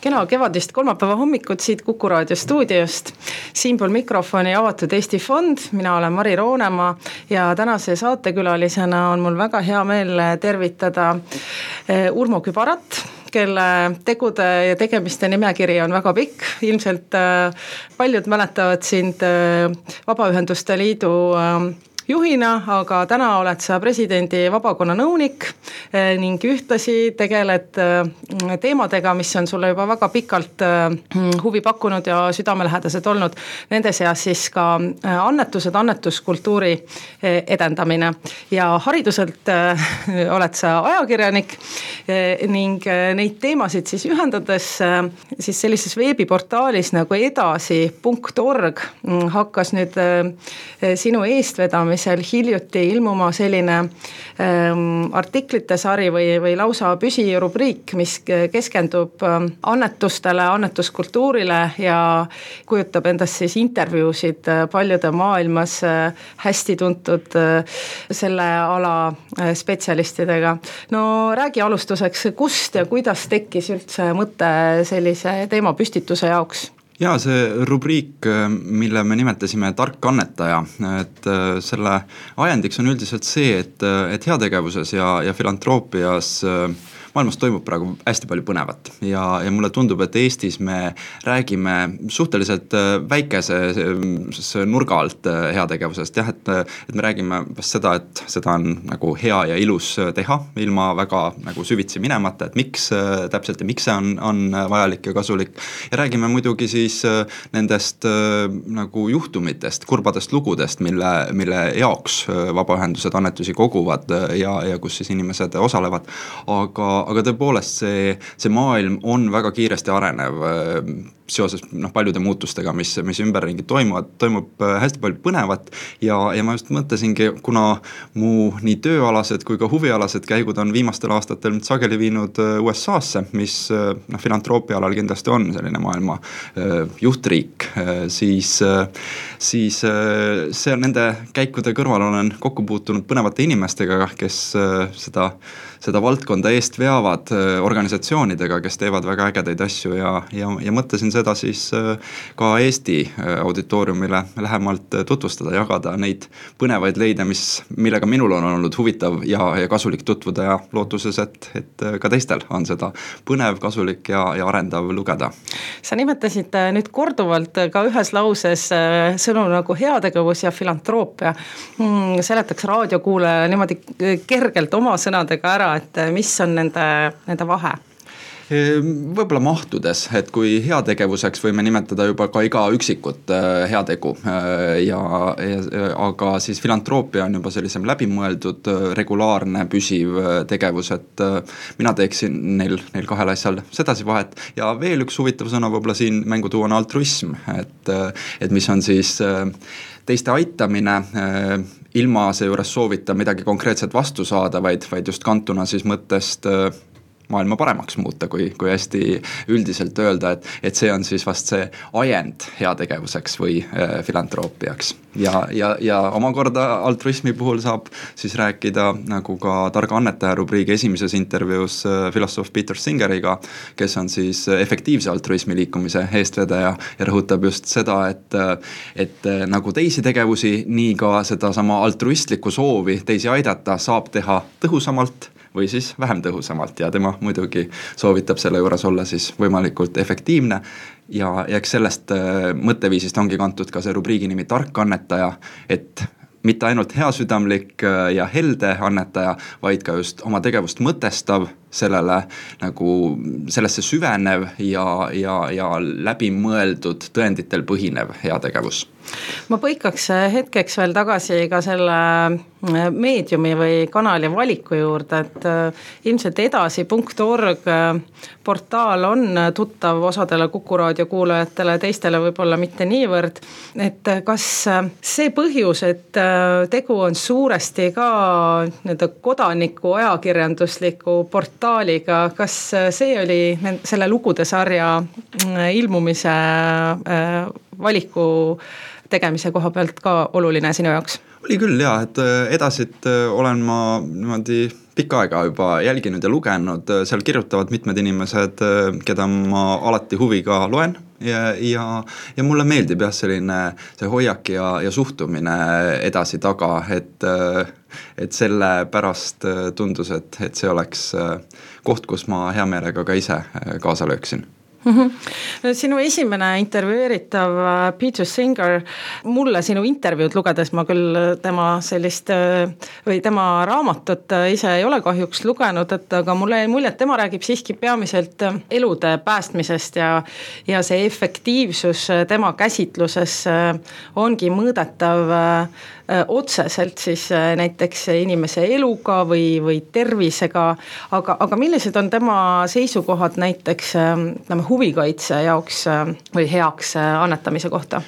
Kena kevadist kolmapäeva hommikut siit Kuku Raadio stuudiost. Siinpool mikrofoni avatud Eesti Fond, mina olen Mari Roonemaa ja tänase saatekülalisena on mul väga hea meel tervitada Urmo Kübarat, kelle tegude ja tegemiste nimekiri on väga pikk. Ilmselt paljud mäletavad sind Vabaühenduste Liidu juhina, aga täna oled sa presidendi vabakonna nõunik ning ühtlasi tegeled teemadega, mis on sulle juba väga pikalt huvi pakkunud ja südamelähedased olnud. Nende seas siis ka annetused, annetuskultuuri edendamine. Ja hariduselt oled sa ajakirjanik ning neid teemasid siis ühendades siis sellises veebiportaalis nagu edasi.org hakkas nüüd sinu eestvedamisel hiljuti ilmuma selline artiklite sari või lausa püsirubriik, mis keskendub annetustele, annetuskultuurile ja kujutab endast siis intervjuusid paljude maailmas hästi tuntud selle ala spetsialistidega. No räägi alustuseks, kust ja kuidas tekkis üldse mõte sellise teemapüstituse jaoks? Ja see rubriik, mille me nimetasime tark annetaja, et selle ajendiks on üldiselt see, et heategevuses ja filantroopias maailmas toimub praegu hästi palju põnevat ja mulle tundub, et Eestis me räägime suhteliselt väikese nurga alt heategevusest. Jah, et me räägime seda, et seda on nagu hea ja ilus teha ilma väga nagu süvitsi minemata, et miks täpselt ja miks see on vajalik ja kasulik. Ja räägime muidugi siis nendest nagu juhtumitest, kurbadest lugudest, mille jaoks vabaühendused annetusi koguvad ja kus siis inimesed osalevad. Aga tõepoolest see maailm on väga kiiresti arenev seoses paljude muutustega, mis ümberringi toimub hästi palju põnevat ja ma just mõtlesingi, kuna mu nii tööalased kui ka huvialased käigud on viimastel aastatel sageli viinud USA-sse, mis filantroopia alal kindlasti on selline maailma juhtriik, siis see nende käikude kõrval olen kokku puutunud põnevate inimestega, kes seda valdkonda eest veavad organisatsioonidega, kes teevad väga ägedaid asju ja mõtlesin seda siis ka Eesti auditooriumile lähemalt tutvustada, jagada neid põnevaid leide, millega minul on olnud huvitav ja kasulik tutvuda ja lootuses, et ka teistel on seda põnev, kasulik ja arendav lugeda. Sa nimetasid nüüd korduvalt ka ühes lauses sõnu nagu heategevus ja filantroopia. Seletaks raadiokuulajale niimoodi kergelt oma sõnadega ära, et mis on nende vahe? Võib-olla mahtudes, et kui heategevuseks võime nimetada juba ka iga üksikut heategu, aga siis filantroopia on juba sellisem läbimõeldud, regulaarne, püsiv tegevus, et mina teeksin neil kahel asjal sedasi vahet. Ja veel üks huvitav sõna võib-olla siin mängu tuua on altruism, et mis on siis teiste aitamine, ilma seejuures soovita midagi konkreetset vastu saada, vaid just kantuna siis mõttest maailma paremaks muuta, kui hästi üldiselt öelda, et see on siis vast see ajend heategevuseks või filantroopiaks. Ja omakorda altruismi puhul saab siis rääkida nagu ka targa annetaja rubriigi esimeses intervjuus filosoof Peter Singeriga, kes on siis efektiivse altruismi liikumise eestvedaja ja rõhutab just seda, et nagu teisi tegevusi, nii ka seda sama altruistlikku soovi teisi aidata saab teha tõhusamalt või siis vähem tõhusamalt ja tema muidugi soovitab selle juures olla siis võimalikult efektiivne ja eks sellest mõtteviisist ongi kantud ka see rubriigi nimi tark annetaja, et mitte ainult heasüdamlik ja helde annetaja, vaid ka just oma tegevust mõtestav, sellesse süvenev ja läbimõeldud tõenditel põhinev heategevus. Ma põikaks hetkeks veel tagasi ka selle meediumi või kanali valiku juurde, et ilmselt edasi.org portaal on tuttav osadele Kuku Raadio kuulajatele, teistele võib-olla mitte niivõrd. Et kas see põhjus, et tegu on suuresti ka kodaniku ajakirjandusliku portaaliga, kas see oli selle lugude sarja ilmumise valiku tegemise koha pealt ka oluline sinu jaoks? Oli küll jah, et edasit olen ma niimoodi pikka aega juba jälginud ja lugenud, seal kirjutavad mitmed inimesed, keda ma alati huviga loen ja mulle meeldib jah selline see hoiak ja suhtumine edasi taga, et selle pärast tundus, et see oleks koht, kus ma hea meelega ka ise kaasa lööksin. Sinu esimene intervjueeritav Peter Singer, mulle sinu intervjuud lugedes, ma küll tema sellist või tema raamatut ise ei ole kahjuks lugenud, aga mulle jäi mulje, et tema räägib siiski peamiselt elude päästmisest ja see efektiivsus tema käsitluses ongi mõõdetav otseselt siis näiteks inimese eluga või tervisega, aga millised on tema seisukohad näiteks huvikaitse jaoks või heaks annetamise kohta?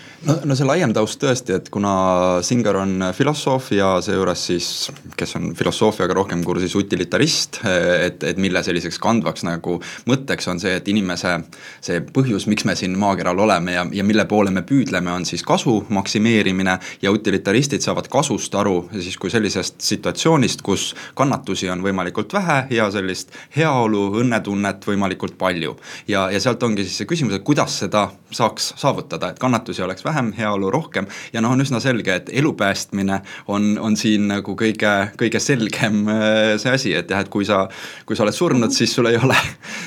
No see laiem taust tõesti, et kuna Singer on filosoof ja seejuures siis, kes on filosoofiaga rohkem kursis utilitarist, et mille selliseks kandvaks nagu mõtteks on see, et inimese see põhjus, miks me siin maakeral oleme ja mille poole me püüdleme, on siis kasu maksimeerimine ja utilitaristid saavad kasust aru siis kui sellisest situatsioonist, kus kannatusi on võimalikult vähe ja sellist heaolu, õnnetunnet võimalikult palju. Ja sealt ongi siis see küsimus, et kuidas seda saaks saavutada, et kannatusi oleks vähem, heaolu rohkem ja on üsna selge, et elu päästmine on siin nagu kõige selgem see asi, et jah, et kui sa oled surnud, siis sul ei ole,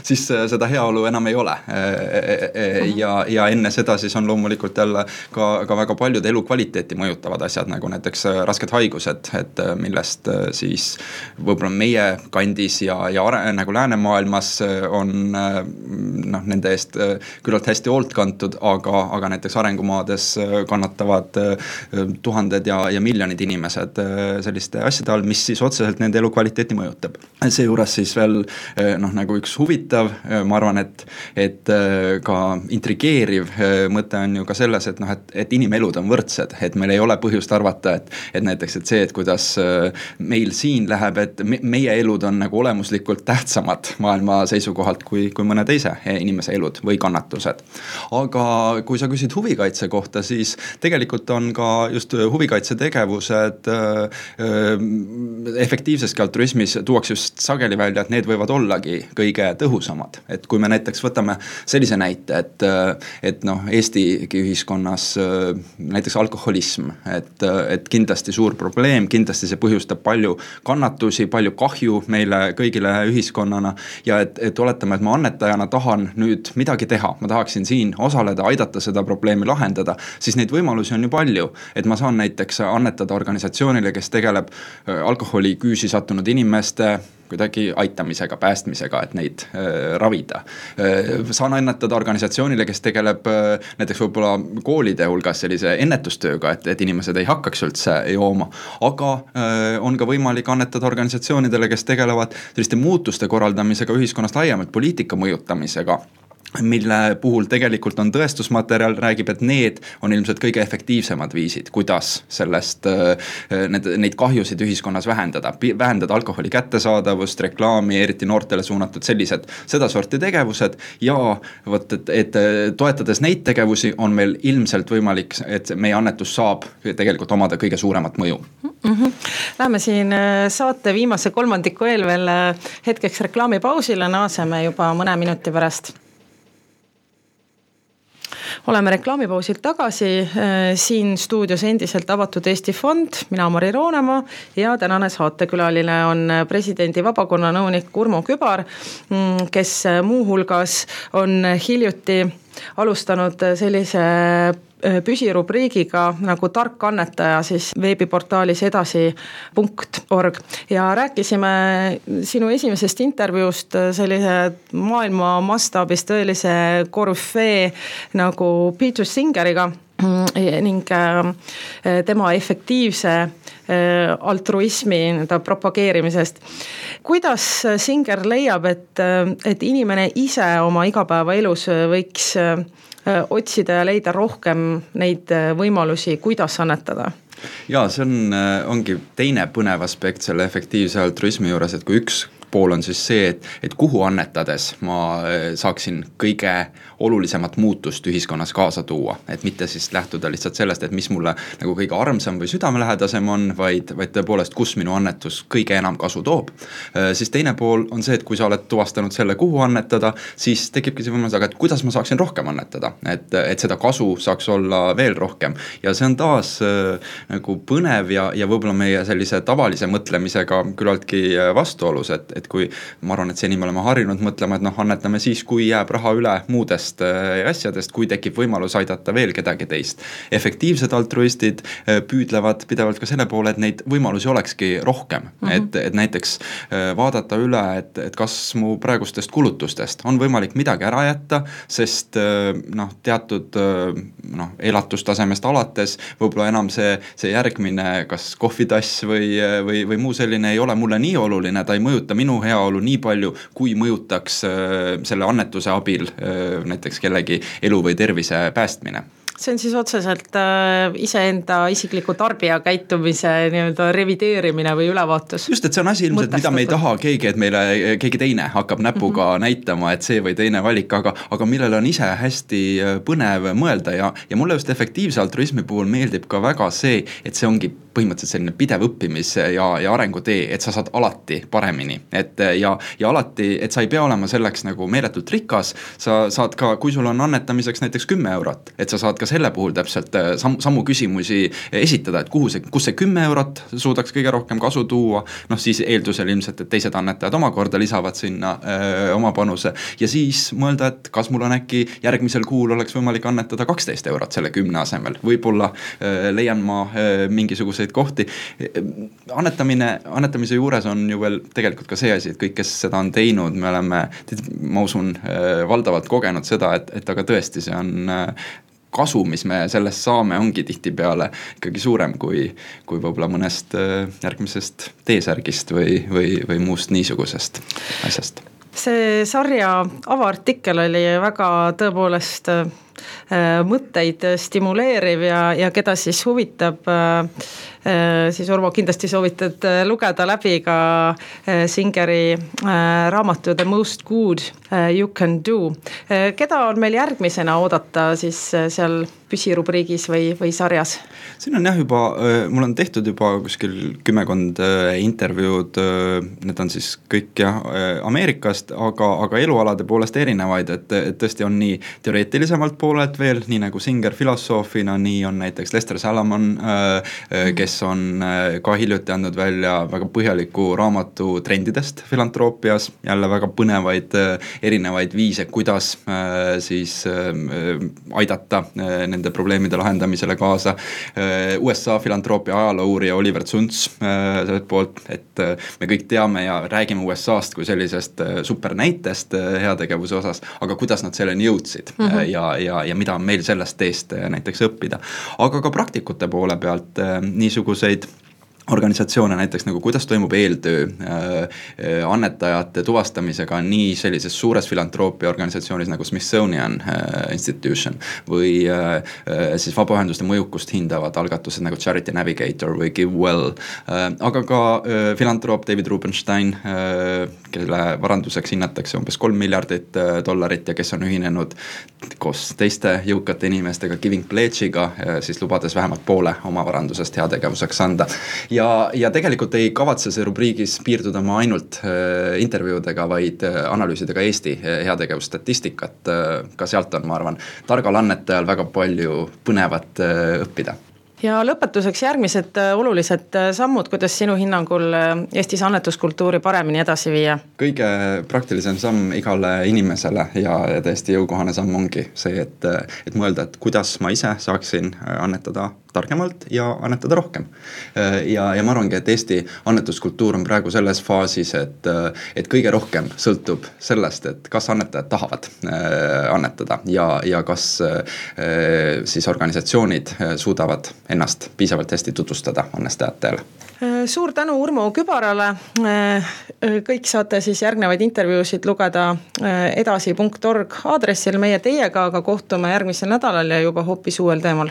siis seda heaolu enam ei ole. Ja enne seda siis on loomulikult jälle ka väga paljud elukvaliteeti mõjutavad asjad, nagu näiteks rasked haigused, et millest siis võib-olla meie kandis ja nagu läänemaailmas on nende eest küllalt hästi hoolt kantud, aga näiteks arengumaades kannatavad tuhanded ja miljonid inimesed selliste asjade all, mis siis otseselt nende elukvaliteeti mõjutab. Seejuures siis veel nagu üks huvitav, ma arvan, et ka intrigeeriv mõte on ju ka selles, et inimelud on võrdsed, et meil ei ole põhjust arvata, et näiteks see, et kuidas meil siin läheb, et meie elud on nagu olemuslikult tähtsamad maailma seisukohalt kui mõne teise inimese elud või kannatused. Aga kui sa küsid huvikaitse kohta, siis tegelikult on ka just huvikaitse tegevused efektiivseski altruismis tuuakse just sageli välja, et need võivad ollagi kõige tõhusamad. Et kui me näiteks võtame sellise näite, et Eesti ühiskonnas näiteks alkoholism, et kindlasti suur probleem, kindlasti see põhjustab palju kannatusi, palju kahju meile kõigile ühiskonnana ja et oletame, et ma annetajana tahan nüüd midagi teha, ma tahaksin siin osaleda, aidata seda probleemi lahendada, siis neid võimalusi on ju palju, et ma saan näiteks annetada organisatsioonile, kes tegeleb alkoholi küüsi sattunud inimeste kuidagi aitamisega, päästmisega, et neid ravida. Saan annetada organisatsioonile, kes tegeleb näiteks võib-olla koolide hulgas sellise ennetustööga, et inimesed ei hakkaks üldse jooma, aga on ka võimalik annetada organisatsioonidele, kes tegelevad selliste muutuste korraldamisega ühiskonnast laiemalt, poliitika mõjutamisega, mille puhul tegelikult on tõestusmaterjal, räägib, et need on ilmselt kõige efektiivsemad viisid, kuidas sellest neid kahjusid ühiskonnas vähendada alkoholi kättesaadavust, reklaami, eriti noortele suunatud sellised sedasorti tegevused ja võt, et toetades neid tegevusi on meil ilmselt võimalik, et meie annetus saab tegelikult omada kõige suuremat mõju. Läheme siin saate viimase kolmandiku eel veel hetkeks reklaamipausile, naaseme juba mõne minuti pärast. Oleme reklaamipausilt tagasi, siin stuudios endiselt avatud Eesti Fond, mina Mari Roonemaa ja tänane saatekülaline on presidendi vabakonna nõunik Urmo Kübar, kes muuhulgas on hiljuti alustanud sellise püsirubriigiga nagu tark annetaja siis veebiportaalis edasi.org ja rääkisime sinu esimesest intervjuust sellise maailma mastaabis tõelise korüfee nagu Peter Singeriga ning tema efektiivse altruismi propageerimisest. Kuidas Singer leiab, et inimene ise oma igapäevaelus võiks otsida ja leida rohkem neid võimalusi, kuidas annetada? Ja see ongi teine põnev aspekt selle efektiivse altruismi juures, et kui üks pool on siis see, et kuhu annetades ma saaksin kõige olulisemat muutust ühiskonnas kaasa tuua, et mitte siis lähtuda lihtsalt sellest, et mis mulle nagu kõige armsam või südamelähedasem on, vaid tõepoolest, kus minu annetus kõige enam kasu toob. Siis teine pool on see, et kui sa oled tuvastanud selle, kuhu annetada, siis tekibki see võimalus, aga et kuidas ma saaksin rohkem annetada, et seda kasu saaks olla veel rohkem. Ja see on taas nagu põnev ja võib-olla meie sellise tavalise mõtlemisega küllaltki vastuolus, et kui ma arvan, et seni me oleme harjunud mõtlema, et annetame siis, kui jääb raha üle muudest asjadest, kui tekib võimalus aidata veel kedagi teist. Efektiivsed altruistid püüdlevad pidevalt ka selle poole, et neid võimalusi olekski rohkem. Et näiteks vaadata üle, et kas mu praegustest kulutustest on võimalik midagi ära jätta, sest teatud elatustasemest alates võib-olla enam see järgmine kas kohvitass või muu selline ei ole mulle nii oluline, ta ei mõjuta minu heaolu nii palju, kui mõjutaks selle annetuse abil näiteks kellegi elu või tervise päästmine. See on siis otseselt iseenda isikliku tarbija käitumise nii-öelda revideerimine või ülevaatus. Just, et see on asi ilmselt, mida me ei taha keegi, et meile keegi teine hakkab näpuga näitama, et see või teine valik, aga millele on ise hästi põnev mõelda ja mulle just efektiivse altruismi puhul meeldib ka väga see, et see ongi põhimõtteliselt selline pidev õppimis ja arengutee, et sa saad alati paremini. Ja alati, et sa ei pea olema selleks nagu meeletult rikas, sa saad ka, kui sul on annetamiseks näiteks 10 eurot, et sa saad ka selle puhul täpselt samu küsimusi esitada, et kus see 10 eurot suudaks kõige rohkem kasu tuua, siis eeldusel ilmselt, et teised annetajad omakorda lisavad sinna oma panuse ja siis mõelda, et kas mul on äkki järgmisel kuul oleks võimalik annetada 12 eurot selle 10 asemel, võib-olla leian ma mingisuguseid kohti. Annetamise juures on ju veel tegelikult ka see asi, et kõik, kes seda on teinud, me oleme, ma usun, valdavalt kogenud seda, et aga tõesti see on kasu, mis me sellest saame, ongi tihtipeale ikkagi suurem kui võib-olla mõnest järgmisest teesärgist või muust niisugusest asjast. See sarja avaartikkel oli väga tõepoolest mõtteid stimuleeriv ja keda siis huvitab, siis Urvo kindlasti soovitad lugeda läbi ka Singeri raamatu The Most Good You Can Do. Keda on meil järgmisena oodata siis seal püsirubriigis või sarjas? Siin on jah juba, mul on tehtud juba kuskil 10 intervjuud, need on siis kõik Ameerikast, aga elualade poolest erinevaid, et tõesti on nii teoreetilisemalt poolelt veel, nii nagu Singer filosoofina, nii on näiteks Lester Salomon, kes on ka hiljuti andnud välja väga põhjaliku raamatu trendidest filantroppias, jälle väga põnevaid erinevaid viise, kuidas siis aidata nende probleemide lahendamisele kaasa. USA filantroopia ajaloourija Oliver Zunz sellelt poolt, et me kõik teame ja räägime USA-st kui sellisest supernäitest heategevuse osas, aga kuidas nad selleni jõudsid ja mida on meil sellest teest näiteks õppida. Aga ka praktikute poole pealt niisuguseid organisatsioone näiteks nagu kuidas toimub eeltöö annetajate tuvastamisega nii sellises suures filantroopia organisatsioonis nagu Smithsonian Institution või siis vabaühenduste mõjukust hindavad algatused nagu Charity Navigator või GiveWell, aga ka filantroop David Rubenstein, kelle varanduseks hinnatakse umbes $3 miljardit ja kes on ühinenud koos teiste jõukate inimestega Giving Pledge'iga, siis lubades vähemalt poole oma varandusest heategevuseks anda. Ja tegelikult ei kavatse see rubriigis piirduda ma ainult intervjuudega, vaid analüüsidega Eesti heategevusstatistikat. Ka sealt on, ma arvan, targal annetajal väga palju põnevat õppida. Ja lõpetuseks järgmised olulised sammud, kuidas sinu hinnangul Eestis annetuskultuuri paremini edasi viia? Kõige praktilisem samm igale inimesele ja tõesti jõukohane samm ongi see, et mõelda, et kuidas ma ise saaksin annetada targemalt ja annetada rohkem. Ja ma arvangi, et Eesti annetuskultuur on praegu selles faasis, et kõige rohkem sõltub sellest, et kas annetajad tahavad annetada ja kas siis organisatsioonid suudavad ennast piisavalt hästi tutvustada annestajatele. Suur tänu Urmo Kübarale. Kõik saate siis järgnevaid intervjuusid lugeda edasi.org aadressil meie teiega, aga kohtume järgmisel nädalal ja juba hoopis uuel teemal.